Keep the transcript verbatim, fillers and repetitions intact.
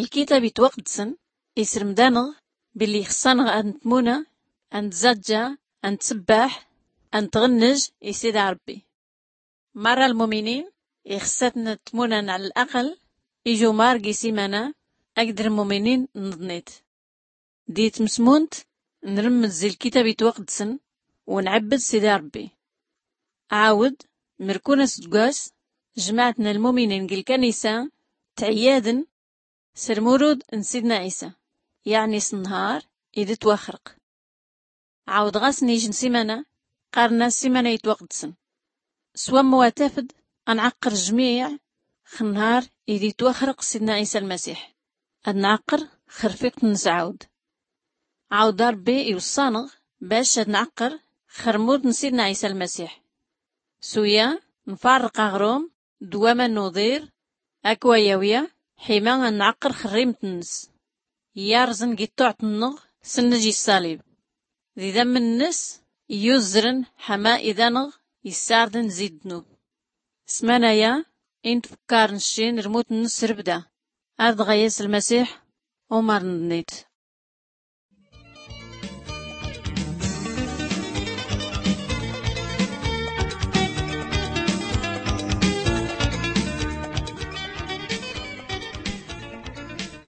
Lkitab itwaqdsen isrmd-anɣ billi ixṣṣ-anɣ ad ntmuna, ad nzaǧǧa, ad ntsbbaḥ, ad ntɣnnj i sida rbbi. Marra lmuminin ixṣṣ-atn tmuna n laql, ijumar gi simana, akd lmuminin nḍnit. Di tmsmunt nrmd zi lkitab itwaqdsen, u nɛbbd sida rbbi. Ɛawd, mrkun asdgwas, jmaɛt n lmuminin gi lkanisa tɛyadn s rmurud n sidna ɛisa, yaɛni s nnhar id twaxrq. Ɛawd ɣas n ij n simana, qqarn-as simana itwaqdsen. S wammu atafd, ad nɛqqr jmiɛ x nnhar id itwaxrq sidna ɛisa lmasiḥ, ad nɛqqr x rfiqt-nns ɛawd. Ɛawd rbbi iwṣṣa-nɣ bac ad nɛqqr x rmut n sidna ɛisa lmasiḥ. S uya, nfarrq aɣrum d waman n uḍir, akk wa yawya, ḥima ad nɛqqr x rrimt-nns, yarẓn gi ṭṭuɛt-nnɣ s nnj i ṣṣalib, d idammen-nns iyuzzrn ḥama id-anɣ issardn zi ddnub. S manaya i ntfkkar nccin rmut-nns rbda, ar dɣa yas lmasiḥ, umar nḍnit.